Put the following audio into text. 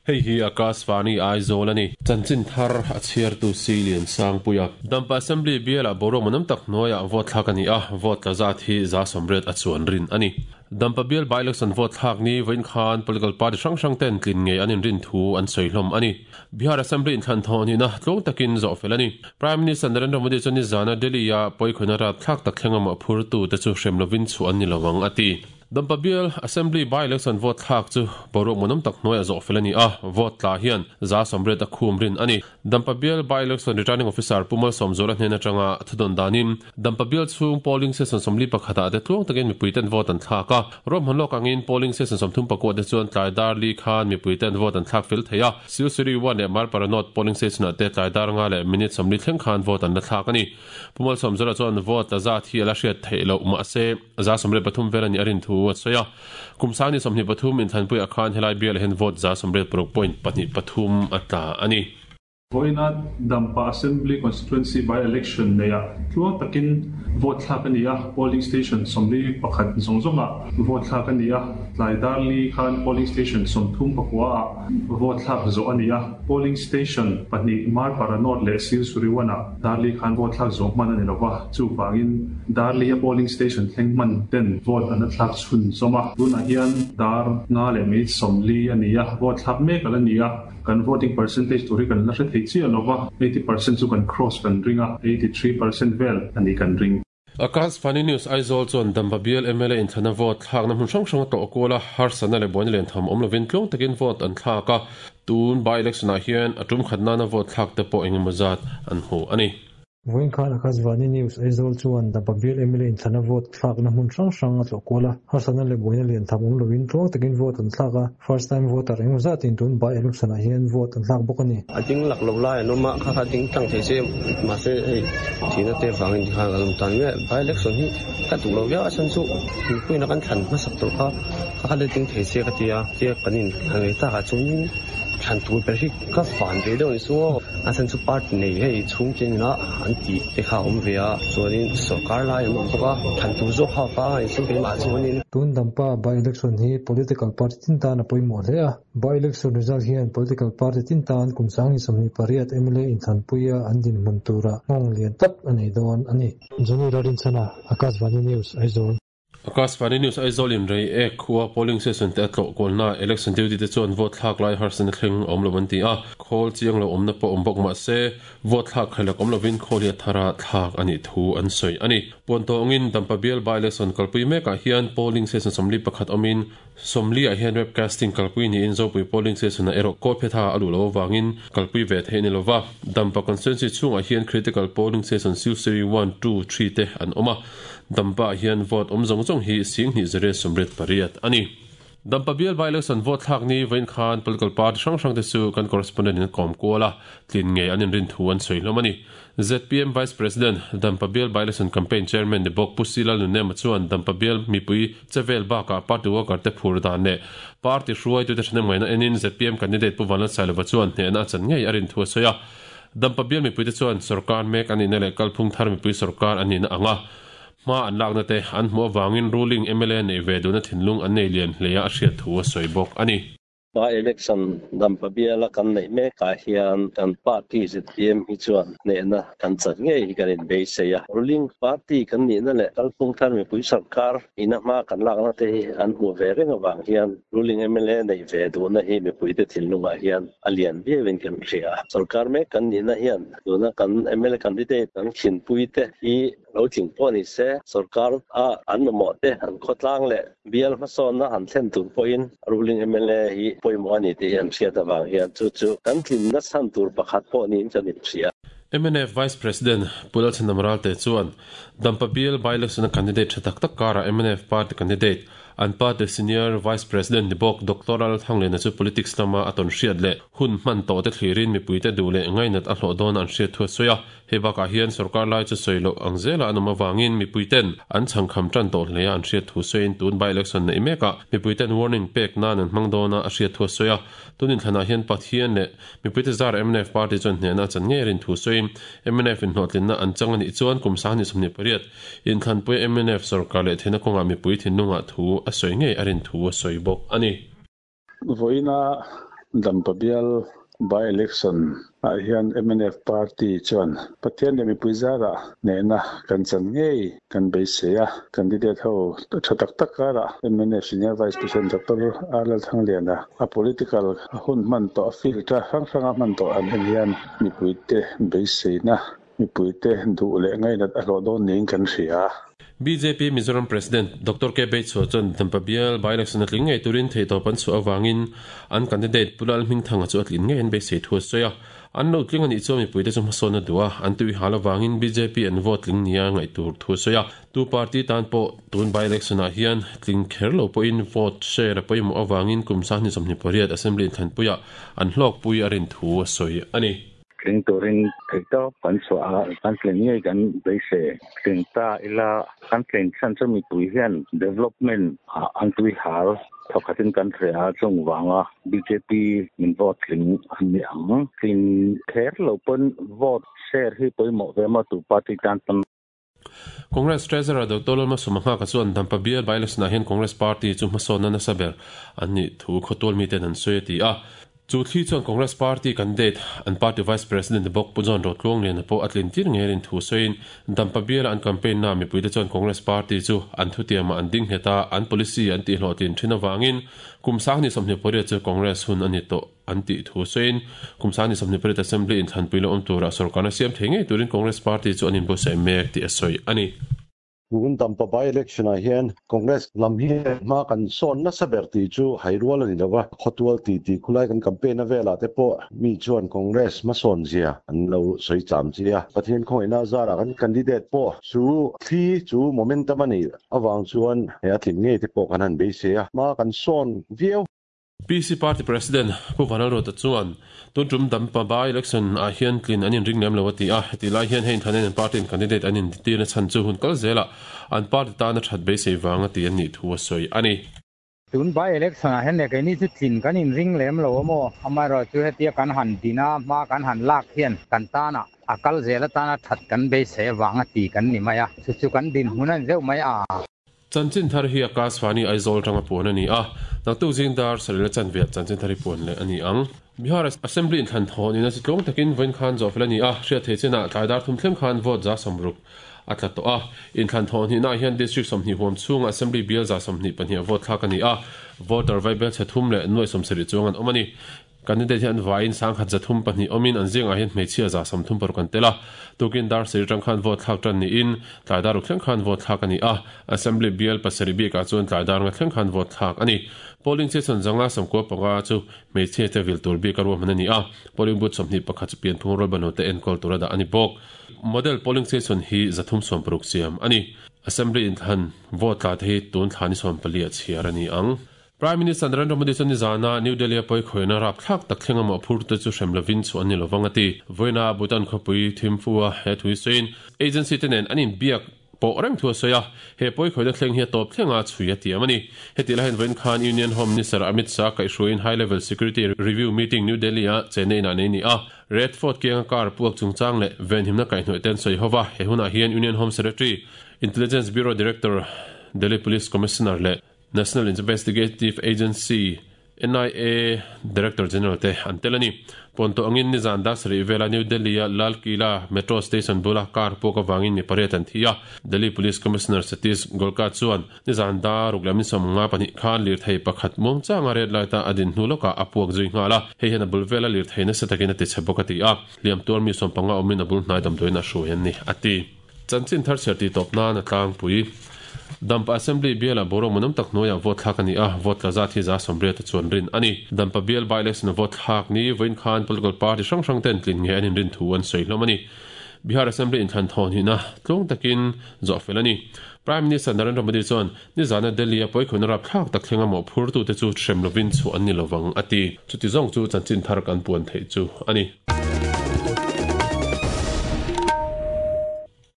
Hei hi Akashvani Aizawl a ni. Chanchin thar a chhiartu Silian Sangpuia. Dampa Assembly bialah boruak manam tak hnuaiah vote thlak a ni a, vote tla zat hi 80% a chuan rin a ni. Dampa bial by-election vote thlak ni vawiin khan political party hrang hrang ten tlin ngei an inrin thu an sawi hlawm a ni. Bihar Assembly inthlan thawh nihna tluang takin zawh fel a ni. Prime Minister Narendra Modi chuan nizana Delhi-a pawikhawina rapthlak tak thleng amah phurtute chu hrem lovin chhuah an ni lo ang a ti. Dampa bial Assembly by-election vote thlak chu boruak muanawm tak hnuaiah zawh fel a ni a, vote tla hian 80% a khum rin a ni. Dampa bial by-election returning officer Pu Malsawmzuala hnen atanga thudawn danin Dampa bial chhung polling station 41 ah te tluang takin mipuiten vote an thlak a, ruahman lawk angin polling station 34 te chuan tlai dar li khan mipuiten vote an thlak fel thei a, Silsuri 1 leh Marpara North polling station ah te tlai dar nga leh minute 40 thleng khan vote an la thlak a ni. Pu Malsawmzuala chuan vote la zat hi a la hriat theih loh mahse 83 vel a nih a rin thu a sawi a. Kum sangni 23 inthlanpuiah khan helai bialah hian vote 86.23 a tla a ni. Vawiina Dampa Assembly Constituency by-election neiah tluang takin vote thlak a ni a, polling station 41 zawng zawngah vote thlak a ni a, tlai dar li khan polling station 39 ah vote thlak zawh a ni a, polling station pahnih Marpara North leh Silsuriwan-ah dar li khan vote thlak zawh hman a ni lova, chuvangin dar li a polling station thleng hman ten vote an la thlak chhunzawm a, tunah hian dar nga leh minute 40 a ni a, vote thlak mek a la ni a. Kan voting percentage tur hi kan la hre thei chiah lova, 80% chu kan cross kan ring a, 83% vel a ni kan ring. Akashvani News Aizawl chuan Dampa bial mla inthlana vote thlakna hmun hrang hrang a tlawh kual a, harsatna leh buaina lian tham awm lovin tluang takin vote an thlak a, tun by-election ah hian a tum khat nana vote thlak te pawh engemaw zat an hmu a ni. Vawiin khan Akashvani News Aizawl chuan Dampa bial mla inthlana vote thlakna hmun hrang hrang a tlawh kual a, harsatna leh buaina lian tham awm lovin tluang takin vote an thlak a, first time voter engemaw zatin tun by-election ah hian vote an thlak bawk a ni. A ding lak lo lai an awm a, kha kha ding tlang thei se mahse hei thihna te vangin tikhan kan awm tan nge by-election hi ka duh lo viau a chhan chu mipuiin a kan thlan hmasak tur kha kha kha la ding thei se ka ti a, tia kan inthlan ve takah chuanin thlan tur ber hi Ka van ve deuh ni chu aw. A chhan chu party nei hei chhung chen ina an tih te kha a awm ve a, chuanin sorkar lai an awm bawk a, thlan tur zawk kha a vang a ni chu keimah chuanin. Tun Dampa by-election hi political party tin tan a pawimawh hle a, by-election result hian political party tin tan kum 2028 mla inthlanpuia an dinhmun tura nghawng lian tak a nei dawn a ni. Johnny Lalrinchhana, Akashvani News, Aizawl. Akashvani News Aizawl in rei ek khua polling station te a tlawh kualna election duty te chuan vote thlak lai harsatna thleng a awm lo an ti a, khawl chiang lo awmna pawh awm bawk mahse vote thlak khailak awm lovin khawl hi a thara thlak a nih thu an sawi a ni. Puan tawngin Dampa bial by-election kalpui mekah hian polling station 41 awmin 40 ah hian webcasting kalpui niin Zopui polling station ah erawh Kawlphetha a luh loh avangin kalpui ve theih a ni lova. Dampa constituency chhungah hian critical polling station Silsiri one, two, three te an awm a. Dampa ah hian vote awm zawng zawng hi 2088 a ni. Dampa bial by-election vote thlak ni vawiin khan political party hrang hrang te chu kan correspondent in a kawm kual a, tlin ngei an inrin thu an sawi hlawm a ni. Zpm Vice President, Dampa bial by-election campaign chairman ni bawk Pu Silal Nunema chuan Dampa bial mipui chevel bakah party worker te phur dan leh party hruaitute thahnem ngaihna enin zpm candidate Pu Vanlalsailova chuan hnehna a chan ngei a rin thu a sawi a. Dampa bial mipuite chuan sorkar mek an nihna leh kalphung thar mipui sorkar an nihna anga hma an lakna te an hmuh avangin ruling mla neih ve duhna thinlung an nei lian hle a a hriat thu a sawi bawk a ni. By election Dampa biala kan neih mekah hian kan party zpm hi chuan hnehna kan chan ngei hi kan inbeisei a. Ruling party kan nihna leh kalphung thar mipui sorkar ina hma kan lakna te hi an hmuh ve reng avang hian ruling mla neih ve duhna hi mipuite thinlungah hian a lian viauin kan hria. Sorkar mek kan nihna hian tuna kan mla candidate kan khinpui te hi lo tling pawh ni se, sorkar a an mamawh te an khawtlang leh bial hmasawnna han thlen tur pawhin ruling mla hi pawimawh a ni tih hi an hriat avang hian chu chu kan tlinna chhan tur pakhat pawh niin kan inhria. Mnf Vice President Pu Lalchhandam Ralte chuan Dampa bial by-election a candidate tha tak tak karah mnf party candidate An party Senior Vice President ni bawk Doctor Lal Thangliana chu politics lama a tawn hriat leh hun hman tawh te thlirin mipuite duh leh ngainat a hlawh dawn an hriat thu a sawi a. Hei bakah hian sorkar lai chu sawi loh ang zela an awm avangin mipuiten an chhangkham tan tawh hle a an hriat thu sawiin tun by-election neih mekah mipuiten warning pek nan an hmang dawn a a hriat thu a sawi a. Tun inthlanah hian Pathian leh mipuite zar mnf party chuan hnehna a chan ngei a rin thu sawiin mnf in hlawhtlinna an chang a nih chuan kum 2028 Inthlanpui mnf sorkar leh theihna kawngah mipui thinlungah thu a sawi ngei a rin thu a sawi bawk a ni. Vawiina Dampa bial by election ah hian mnf party chuan Pathian leh mipui zarah hnehna kan chan ngei kan beisei a. Candidate ho tha tak tak karah mnf Senior Vice President Doctor R Lalthangliana a political hun hman tawh a field hrang hranga hman tawh han en hian mipuite beiseina mipuite duh leh ngainat a hlawh dawn niin kan hria. Bjp Mizoram President Doctor K Beichhuah chuan Dampa bial by-election a tling ngei turin theihtawp an chhuah avangin an candidate Pu Lalhmingthanga chu a tlin ngei an beisei thu a sawi a. An lo tling a nih chuan mipuite chu hmasawn a duh a, an tui hal avangin bjp an vote tling nia ngaih tur thu a sawi a. Tu party tan pawh tun by-election ah hian tling kher lo pawhin vote share a pawimawh avangin kum 2028 Assembly inthlanpuiah an hlawkpui a rin thu a sawi a ni. Tling turin theihtawp kan chhuah a, kan tlin ngei kan beisei. Tling ta ila kan tlin chhan chu mipui hian development ah an tui hal thawkhatin kan hre a, chung vanga bjp min vote tling an ni ang. Tlin kher lo pawn vote share hi pawimawh ve maw tu party tan pawn. Congress Treasurer Doctor Lalma Sumahngaka chuan Dampa bial by-election-ah hian Congress Party chu hmasawnna nasa ber an nih thu khawtual miten an sawi a ti a. Chu thli chuan Congress Party candidate, an party Vice President bawk Pu John Rotluangliana pawh a tlin tir ngei rin thu sawiin Dampa biala an campaign-naa mipuite chuan Congress Party chu an thutiamah an ding nghet a, an policy an tihhlawhtlin thin avangin kum 2028 chu Congress hun a ni tawh. an tih thu sawiin kum 2028 Assembly inthlanpui lo awm tura sorkarna siam thei ngei turin Congress Party chu an inbuatsaih mek tih a sawi a ni. Tun Dampa by-election ah hian Congress lam hi hma kan sawn nasa ber tih chu hai rual a ni lo va, khawtual ti tih khulai kan campaign a velah te pawh mi chuan Congress hmasawn zia an lo sawi cham chi a. Pathian khawngaihna zarah kan candidate pawh chu thli chu momentum a nih avang chuan he a tling ngei te pawh kan han beisei a, hma kan sawn viau. PC Party President Pu Vanlalruata chuan tun tum Dampa by election ah hian tlin an inring lem lo a ti a, hetih lai hian hei inthanen an party in candidate an intirna chhan chu hun kal zelah an party tana that beisei vang a ti an nih thu a sawi a ni. Tun by election ah hian leh keini chu tlin kan inring lem lo a maw? Amaherawhchu hetia kan han din a, hma kan han lak hian kan tanah a kal zel atana that kan beisei avang a ti kan ni mai a, chu chu kan dinhmun a ni deuh mai a. Chanchin thar hi Akashvani Aizawl atanga puan a ni a, naktuk zing dar sarila chanve ah chanchin thar hi puan leh a ni ang. Bihar Assembly inthlan thawn in a chitlawng takin vawiin khan zawh fel a ni a, hriat theih chinah tlai dar thum thleng khan vote 160 a tla tawh a. Inthlan thawn hnihnaah hian District 20 huam chhunga Assembly bial 22 ah vote thlak a ni a, voter vaibel chhe thum leh nuai 70 chuang an awm a ni. Candidate hi an vaiin 1302 awmin an zingah hian hmeichhia 36 an tel a. Tukin dar sarih atang khan vote thlak tan niin tlai dar ruk thleng khan vote thlak a ni a. Assembly bial pasarih bikah chuan tlai dar nga thleng khan vote thlak a ni. Polling station 595 chu hmeichhia te vil tur bika ruahman a ni a. Polling booth 21 chu pianphung rualbanlo te enkawl tura dah a ni bawk. Model polling station hi 360 siam a ni. Assembly inthlan vote tla te hi tun thla ni 14 ah chhiar a ni ang. Prime Minister Narendra Modi chuan nizana New Delhi-a pawi khawihna rapthlak tak thleng amaw phurtute chu hrem lovin chhuah an ni lovang a ti. Vawiina Bhutan khawpui Thimphu-a he thu hi sawiin agency te nen an inbiak pawh reng thu a sawi a, he pawi khawihna thleng hi a tawp thlenga chhui a tiam a ni. Hetih lai hian vawiin khan Union Home Minister Amit Shah kaihhruaiin High Level Security Review Meeting New Delhi-a chenna inah nei a ni a. Red Fort kianga car puak chungchang leh venhimna kaihhnawih te an sawi ho va, he hunah hian Union Home Secretary, Intelligence Bureau Director, Delhi Police Commissioner leh National Investigative Agency, NIA, Director General te an tel a ni. Pawnto angin nizan dar sarih vela New Delhi-a Lal Qila Metro Station bula car puak avangin mi pariat an thi a. Delhi Police Commissioner Satish Golka chuan nizan dar ruk leh min 52 khan lirthei pakhat muangchanga red light-a a din hnu lawkah a puak zui nghal a, hei hian a bul vela lirthei nasa takin a tichhe bawk a ti a. Hliam tuar mi 15 awmin a bul hnai damdawiin a hruai an ni, a ti. Chanchin thar chhiar tih tawp nan a tlangpui. Dampa Assembly bialah boruak munam tak hnuaiah vote thlak a ni a, vote tla zat hi 80% a chuan rin a ni. Dampa bial by-election a vote thlak ni vawiin khan political party hrang hrang ten tlin nge an inrin thu an sawi hlawm a ni. Bihar Assembly inthlan thawn hnihna tlung takin zawh fel a ni. Prime Minister Narendra Modi chuan nizana Delhi-a pawikhawina rapthlak tak thlenga mawhphurtute chu hrem lovin chhuah an ni lovang a ti. Chuti zawng chu chanchin thar kan puan theih chu a ni.